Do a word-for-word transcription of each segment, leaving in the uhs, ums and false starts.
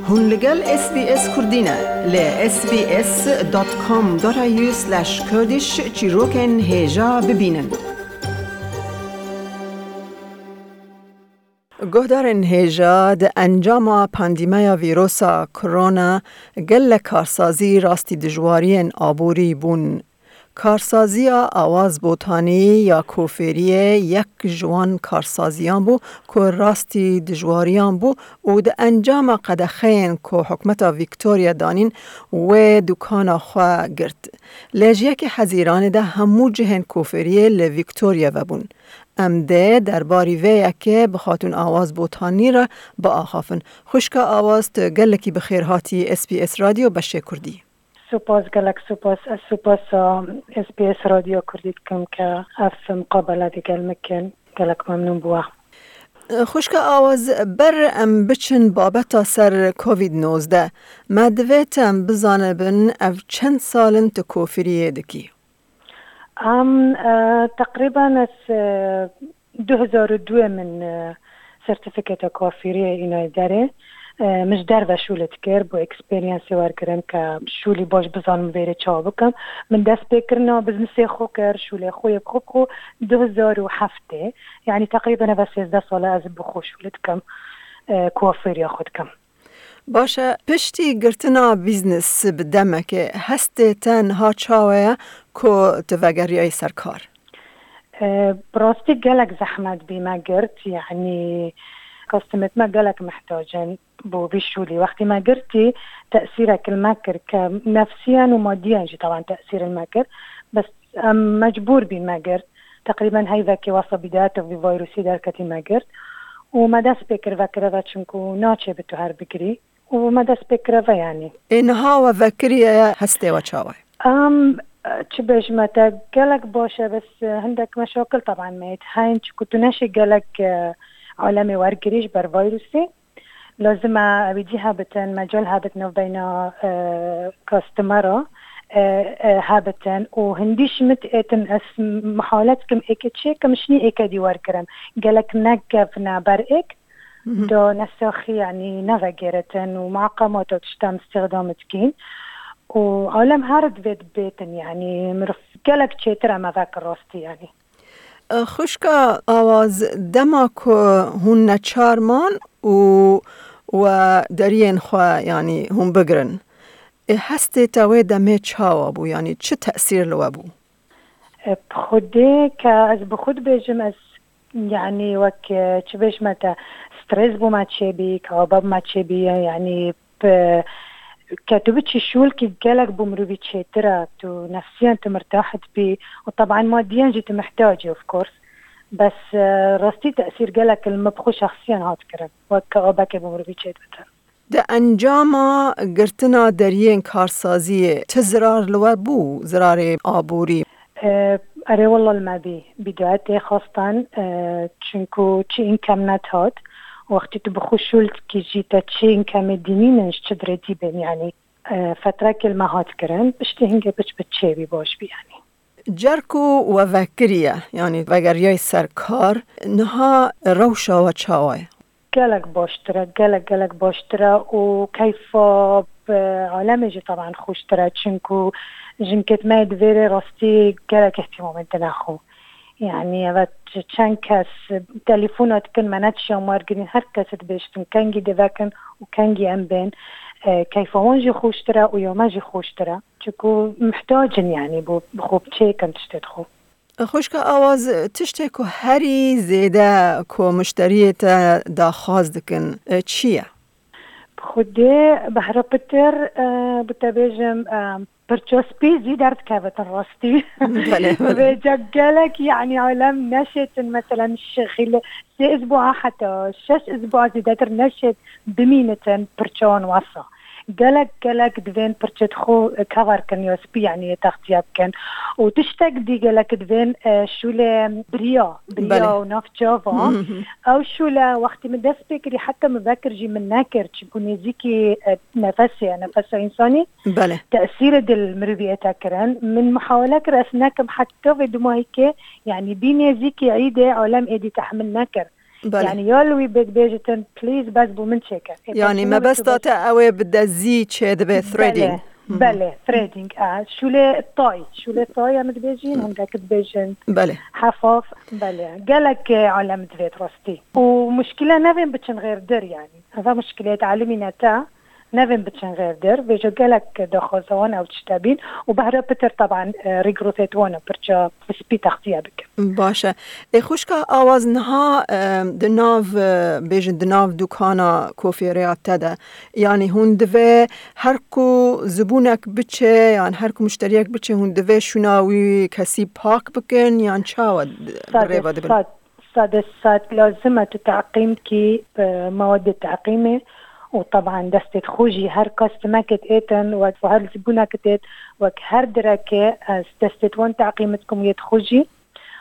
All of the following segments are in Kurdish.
Hûn li gel S B S Kurdî ne. Li S B S dot com dot A U slash Kurdish çîrokên hêja bibînin. Guhdarên hêja, di encama pandîmeya vîrosa Corona gelek karsazî rastî dijwariyên aborî bûn. Karsaziya Awaz Botanî ya Kofêriyê yek ji wan karsaziyan bû ku rastî dijwariyan bû û di encama qedexeyên ku hikûmeta Victoria danîn, wê dukana xwe girt. Lê ji yekê Hezîranê de hemû cihên Kofêriyê li Victoria vebûn. Em dê derbarî vê yekê bi Xatûn Awaz Botanî re biaxafin. Xwişka Awaz, tu gelekî bi xêr hatî S B S Radyo beşê Kurdî. Spas, gelek spas. Ez supasa S B S Radyo Kurdî dikim ke ev muqabele digel min kin. Gelek memnûn bû. Xwişka Awaz, ber em biçin babeta ser covid nozdeh, me divê em bizanibin ev çend sal in tu kofiriyê dikî? Em, e, teqrîben ez, e, du hezar û duyê min, e, sertîfîketa kafîriyê îna derê. E, min ji derve şûlê dikir, bo eksperyansê wergirim ke şûlî baş bizanim vêrê çawa bikim. Min dest pê kirina biznesê xwe kir, şûlê xwe yê bi xwe bi xwe du hezar û heftê. Yanî teqrîben eve sêzdeh sal e ez bi xwe şûlê dikim, e, kuafêriya xwe dikim. Baş e, piştî girtina bîznes bi demekê, hestê te niha çawa ye ku tu vegeriyayî ser kar? E, bi rastî gelek zehmet bî me girt, yanî kastimêt me gelek mihtac in bo vî şûlî. Wextî me girtî, tesîrek li me kir ke nefsiyen û madiyen jî taban tesîr li me kir. Bes em mecbûr bîn me girt. Teqrîben heyvekê wesa bîdayeta vî vayrûsî derketî me girt. Û me dest pê kir vekireve çinku naçê bi tu her bigirî. Û me dest pê kireve yanî. Ê niha we vekiriye, hestê we çawa ye? Em, çi bêjime te, gelek baş e, bes hindek meşakil taban me yê heyîn, çiku tu neşê gelek, e, alemê wergirî ji ber vayrûsê. Lazim e ewî dî hebitin, mecal hebit navbeyna, e, kastimera, e, e, hebitin û hindî ji min êtin ez mihalet kim êkê çêkim, şinî êkê dî wergirim. Gelek nekevne ber êk, Mhm. da nesaxî, yanî nevegêretin û muqemata tiştan îstîxdam dikîn. Û alem her divê dibêtin, yanî mirov gelek çêtir e me vekir rastî, yanî. Xwişka Awaz, dema ku hûn neçar man û we deriyên xwe, yanî hûn bigirin, ê hestê te wê demê çawa bû, yanî çi tesîr li we bû? E, bi Xwedê ke ez bi xwe dibêjim, ez, yanî wek, e, çi bêjime te, stres bû me çêbî, kaba me çêbî, yanî bi, ke tu biçî şûlkî gelek bo mirovî çêtir e, tu nefsiyen tu mirtah dibî û teban madiyen jî tu mihtacî, of course. Bes, e, rastî tesîr gelek li min bi xwe şexsiyen hat kirin, wek ke abekê bo mirovî çêdibitin. Di encama girtina deriyên karsaziyê çi zirar li we bû, zirarê aborî? E, erê, wela li me bî. Bîdayetê xwestan, e, çinku çi înkem nedihat. Wextî tu bi xwe şûl dikî jî te çi înkemê dînînin ji çi dirê dî bên, yanî, e, fetrekê li me hat kirin, piştî hingê piç bi çêbî baş bî, yanî. Car ku we vekiriye, yanî vegeriyayî ser kar, niha rewşa we çawa ye? Gelek baştir e, gelek, gelek baştir e û keyfa bi alemê jî teban xweştir e, çinku jinkêt me yê di vêrê rastî gelek îhtîmamê dine xwe. Yanî, evet, çend kes telefona dikin, me ne tişiya mar girîn, her kes dibêjtin, kengî dê vekin û kengî em bên. E, keyfa wan jî xweştir e û ya me jî xweştir e. Çiku muhtac in, yanî, bo, bi xwe çêkin tiştê xwe. Xwişka Awaz, tiştê ku herî zêde ku muşteriyê te daxwaz dikin, e, çi ye? Bi Xwedê behra pitir, e, bi te bêjim, e, pirça spî zî derdikevitin rastî. Belê, belê. Vêca gelek, yanî, alem neşêtin, meselen, şixîle, sê isbu'a heta şeş isbu'a zêdetir neşêt bimînitin pirçewan wesa. Gelek, gelek divên pirçet xwe kever kin ya spî, yanî yê textiye bikin. Û tiştek dî gelek divên, e, şûlê biriya, biriya Belê. û navçava. Mhm. Ew şûle wextî min dest pê kirî, heta min vekir jî min nekir, çiku nêzîkî, e, nefesê ye, nefesa însanî. Belê. Tesîrê dil mirovî ê te kirin. Min muhawele kir ez nekim heta vê dumahîkê, yanî bî nêzîkî îdê alem êdî tehmil nekir. Belê. Yani ya li wî bê dibêjitin, "Please, bes bo min çêke." Ê, Yani pêşîna mebesta wî te ew ê bi dezî çê dibe, threading. Belê, Hmm. belê, threading, a, şûlê tay, şûlê tay em dibêjin, hindek dibêjin Belê. Hefaf, belê. Gelek, e, alem divêt rastî. Û muşkile nevên biçin xêrdir yani. Eva muşkilê talimî ne te, nevên biçin xêrdir. Vêjo gelek daxwaza wan ew tişte bîn û behra pitir taban, e, regrowthê wan pirça spî textiye bikin. Baş e. Ê xwişka Awaz niha, e, di nav, e, bêjin di nav dukana kofêreya te de. Yani hûn divê her ku zibûnek biçe, yan her ku muşteriyek biçe, hûn divê şûna wî kesî pak bikin, yan çawa di-, bi Sade rêva dibin? Sad, sade sad lazim e tu teqîm kî, e, mewad teqîmê û taban destê xwe jî her kastimekê êtin, wek her zibûnek êt, wek her direke ez destê wan teqîm dikim yê xwe jî.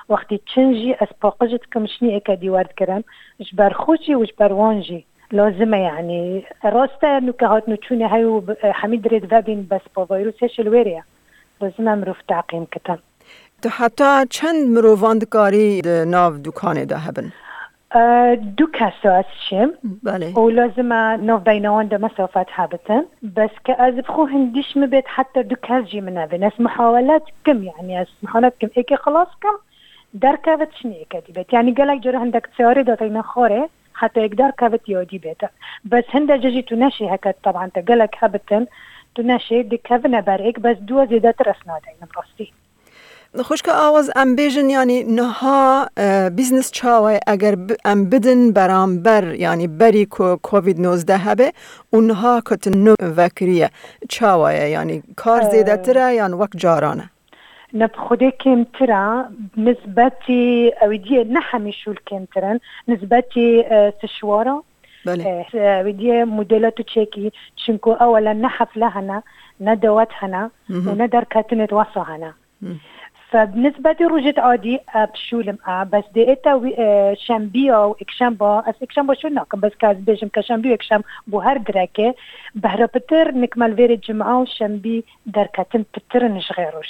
Wextî çin jî ez paqij dikim, şinî êke dîwar dikirim. Ji ber xwe jî û ji ber wan jî lazim e, yanî rast e, nûke hatnûçûnê heye û bi-, hemî dirêd vebîn, bes pa vîrusê şil wêrê ye. Lazim e mirov teqîm kitin. Tu heta çend mirovan dikarî di nav dukanê de hebin? E, du kes ez şim. Belê. Û lazim e nav beyna wan de mesafet hebitin. Bes ke ez bi xwe hindîş mi bêt, heta du kes jî min nebin. Ez muhawele dikim, yanî ez muhawele dikim. Êkê xilas kim, derkevit şinî êke dî bêt. Yanî gelek cara hindek tiyarê de teyne xwarê, heta êk derkevit ya dî bêt. Bes hinde ce jî tu neşê heke taban te gelek hebitin, tu neşê dikevine ber êk, bes dua zêdetir ez nadeynim rastî. Xwişka Awaz, em bêjin, yanî niha, e, business çawa ye eger bi-, em bidin beramber, yanî berî ku covid nozdeh hebe û niha ku tu nû vekiriye, çawa ye? Yanî kar E, zêdetir e yan wek caran e? Ne bi xwedê kêmtir e, nisbetî ew diyê ne hemî şûl kêmtir in, nisbetî, e, sişwara. Belê. E, ew diyê modela tu çêkî, çinku ewela ne hefle hene, ne dewet hene Hı hı. û ne derketinê wesa hene. Hı. Fe bi nisbetî rojêt adî, e, bi şûlim e, bes dê êta wî, e, şembiya û êkşemba, ez êkşemba şûl nakim, bes ka ez bêjim ke şembî û êkşem bo her direke, behra pitir nikmal vêrê cima û şembî derketin pitir in ji xê roj.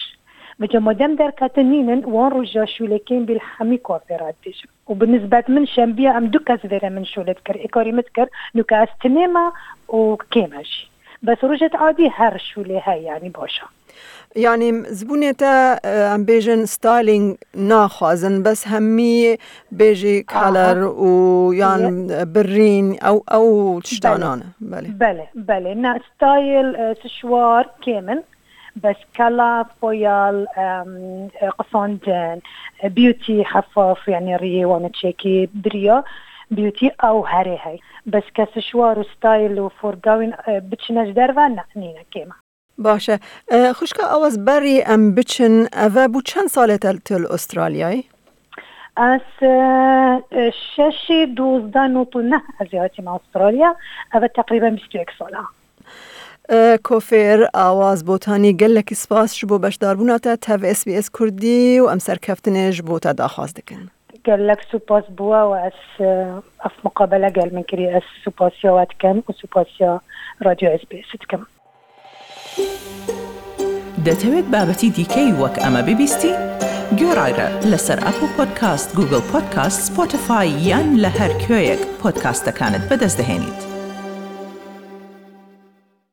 Vêca madem derketin nînin, wan roja şûlê kêm bî li hemî kafê re dibêjim. Û bi nisbet min şembiya em du kes vêrê min şûlê dikir, êkarî min dikir, nûke ez tinê me û kêm e jî. Bes rojêt adî her şûlê heye, yanî baş e. Yanî zibûnê te, e, em bêjin styling naxwazin, bes hemî bêjî Aha. Colour û yan Ye- birîn, ew, ew tiştanan. Belê. Belê. Belê, belê. Na, style, e, sişwar kêm in. Bes colour, foil, em, e, qisandin, e, beauty, hefaf, yanî riyê wan çêkî biriya, beauty ew herê hey. Bes ke sişwar û style û forgawîn, e, biçine ji derve, ne, nîne kêm e. Baş e. E, xwişka Awaz, berî em biçin, eve bû çend salê te tu li Australyayê? Ez, e, e, şeşê dozdeh nod û neh ez ê hatîme Australya. Eve teqrîben bîst û yek sal e. E, Kofêr Awaz Botanî, gelekî spas ji bo beşdarbûna te tev S B S Kurdî û em serkeftinê ji bo te daxwaz dikin. Gelek spas bo we û ez, e, ev muqabele gel min kirî, ez supasiya we dikim û supasiya Radyo S B S dikim. دەتەوێت بابەتی دیکەی وەک ئەمە ببیستی؟ گوێڕایرە لەسەر ئەپڵ پۆدکاست، گوگڵ پۆدکاست، سپۆتیفای یان لە هەر کوێیەک پۆدکاستەکانت بەدەست دەهێنیت.